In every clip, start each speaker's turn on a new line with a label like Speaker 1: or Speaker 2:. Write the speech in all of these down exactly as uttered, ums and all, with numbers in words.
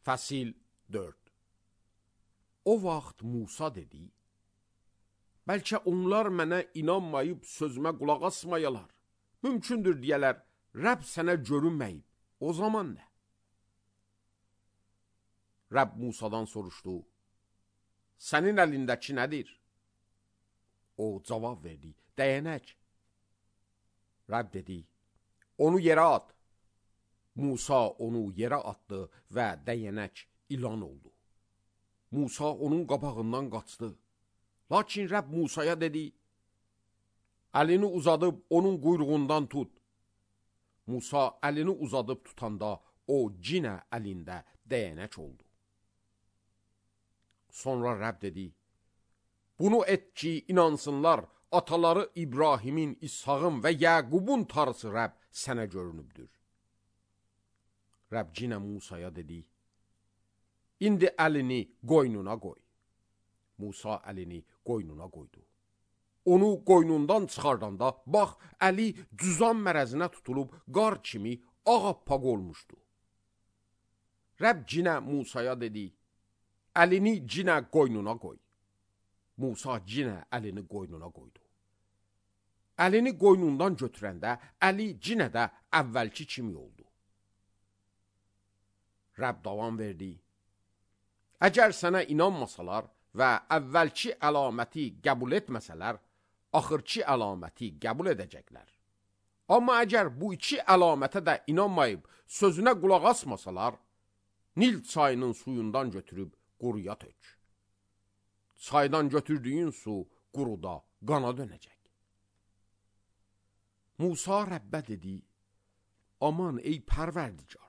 Speaker 1: Fəsil dörd. O vaxt Musa dedi, bəlkə onlar mənə inanmayıb sözümə qulaq asmayalar. Mümkündür deyələr, Rəbb sənə görünməyib. O zaman nə? Rəbb Musadan soruşdu, sənin əlindəki nədir? O cavab verdi, dəyənək. Rəbb dedi, onu yerə at. Musa onu yerə atdı və dəyənək ilan oldu. Musa onun qabağından qaçdı. Lakin Rəbb Musaya dedi, əlini uzadıb onun quyruğundan tut. Musa əlini uzadıb tutanda o cinə əlində dəyənək oldu. Sonra Rəbb dedi, bunu et ki, inansınlar, ataları İbrahimin, İshağın və Yəqubun Tanrısı Rəbb sənə görünübdür. Rəbb cinə Musaya dedi, indi əlini qoynuna qoy. Musa əlini qoynuna qoydu. Onu qoynundan çıxardanda, bax, əli cüzam mərəzinə tutulub qar kimi ağappaq olmuşdu. Rəbb cinə Musaya dedi, əlini cinə qoynuna qoy. Musa cinə əlini qoynuna qoydu. Əlini qoynundan götürəndə, əli cinə də əvvəlki kimi oldu. Rəbb davam verdi, əgər sənə inanmasalar və əvvəlki əlaməti qəbul etməsələr, axırki əlaməti qəbul edəcəklər. Amma əgər bu iki əlamətə də inanmayıb, sözünə qulaq asmasalar, Nil çayının suyundan götürüb quruya tök. Çaydan götürdüyün su quruda qana dönəcək. Musa Rəbbə dedi, aman ey pərverdigar,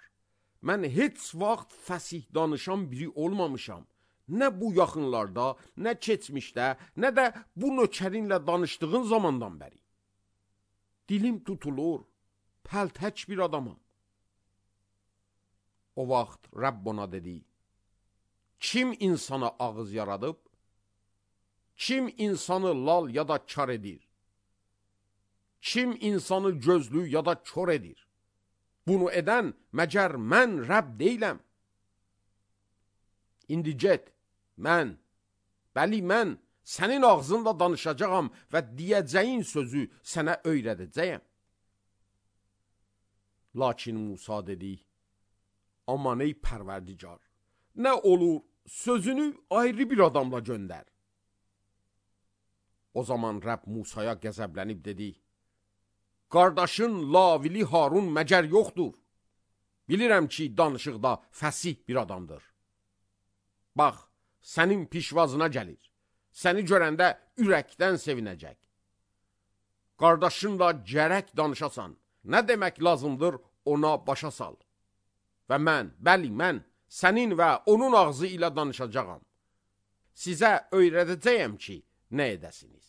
Speaker 1: mən heç vaxt fəsih danışan biri olmamışam. Nə bu yaxınlarda, nə keçmişdə, nə də bu nökərinlə danışdığın zamandan bəri. Dilim tutulur, pəltək bir adamam. O vaxt Rəbb ona dedi, kim insana ağız yaradıb? Kim insanı lal ya da kar edir? Kim insanı gözlü ya da kör edir? Bunu edən məgər mən Rəbb deyiləm. İndi get, mən, bəli mən sənin ağzınla danışacağam və deyəcəyin sözü sənə öyrədəcəyəm. Lakin Musa dedi, aman ey pərverdigar, nə olur sözünü ayrı bir adamla göndər. O zaman Rəbb Musaya qəzəblənib dedi, qardaşın Lavili Harun məgər yoxdur? Bilirəm ki, danışıqda fəsih bir adamdır. Bax, sənin pişvazına gəlir. Səni görəndə ürəkdən sevinəcək. Qardaşınla gərək danışasan. Nə demək lazımdır, ona başa sal. Və mən, bəli mən, sənin və onun ağzı ilə danışacağam. Sizə öyrədəcəyəm ki, nə edəsiniz.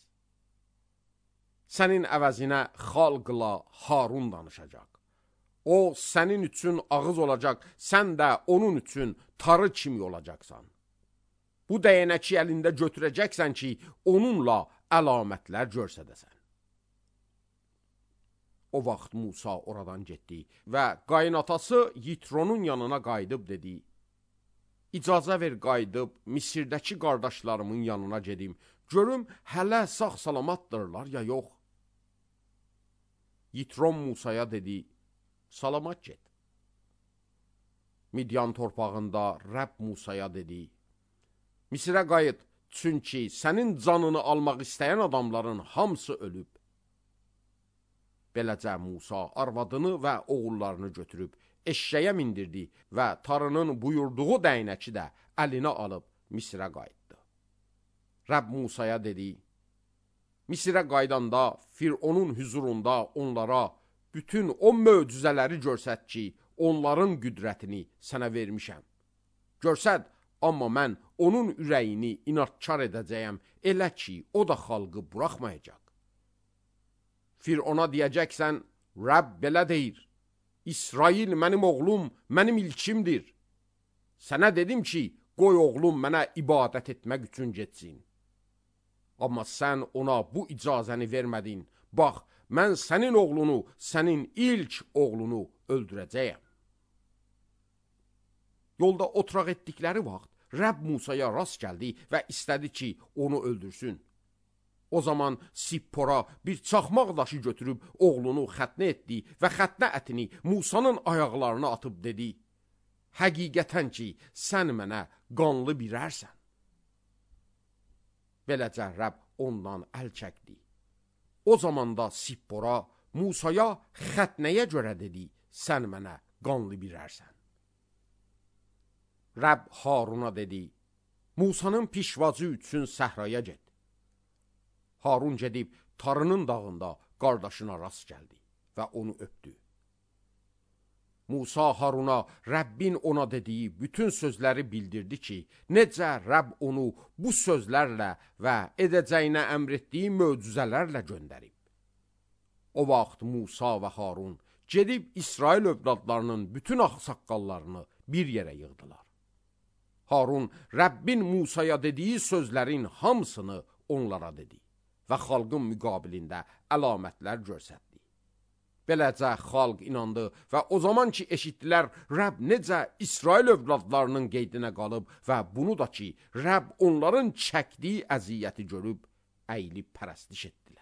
Speaker 1: Sənin əvəzinə xalqla Harun danışacaq. O, sənin üçün ağız olacaq, sən də onun üçün tarı kimi olacaqsan. Bu dəyənəki əlində götürəcəksən ki, onunla əlamətlər görsədəsən. O vaxt Musa oradan getdi və qaynatası Yitronun yanına qayıdıb dedi, İcazə ver qayıdıb Misirdəki qardaşlarımın yanına gedim, görüm hələ sağ salamatdırlar ya yox. Yitron Musaya dedi, salamat get. Midyan torpağında Rəbb Musaya dedi, Misirə qayıt, çünki sənin canını almaq istəyən adamların hamısı ölüb. Beləcə Musa arvadını və oğullarını götürüb eşşəyə mindirdi və tarının buyurduğu dəyənəki də əlinə alıb Misirə qayıtdı. Rəbb Musaya dedi, Misirə qaydanda Fironun hüzurunda onlara bütün o möcüzələri görsət ki, onların qüdrətini sənə vermişəm. Görsət, amma mən onun ürəyini inadkar edəcəyəm, elə ki, o da xalqı buraxmayacaq. Firona deyəcəksən, Rəbb belə deyir, İsrail mənim oğlum, mənim ilkimdir. Sənə dedim ki, qoy oğlum mənə ibadət etmək üçün getsin. Amma sən ona bu icazəni vermədin. Bax, mən sənin oğlunu, sənin ilk oğlunu öldürəcəyəm. Yolda oturaq etdikləri vaxt Rəbb Musaya rast gəldi və istədi ki, onu öldürsün. O zaman Sippora bir çaxmaq daşı götürüb oğlunu xətnə etdi və xətnə ətini Musanın ayaqlarına atıb dedi: həqiqətən ki, sən mənə qanlı birərsən. Beləcə Rəbb ondan əl çəkdi. O zaman da Sippora Musaya xətnəyə görə dedi: sən mənə qanlı birərsən. Rəbb Haruna dedi: Musanın pişvacı üçün səhraya get. Harun gedib Tarının dağında qardaşına rast gəldi və onu öpdü. Musa Haruna Rəbbin ona dediyi bütün sözləri bildirdi ki, necə Rəbb onu bu sözlərlə və edəcəyinə əmr etdiyi möcüzələrlə göndərib. O vaxt Musa və Harun gedib İsrail övladlarının bütün ağsaqqallarını bir yerə yığdılar. Harun Rəbbin Musaya dediyi sözlərin hamısını onlara dedi və xalqın müqabilində əlamətlər göstərdi. Beləcə xalq inandı və o zaman ki eşitdilər Rəbb necə İsrail övladlarının qeydinə qalıb və bunu da ki Rəbb onların çəkdiyi əziyyəti görüb əyilib pərəstiş etdilər.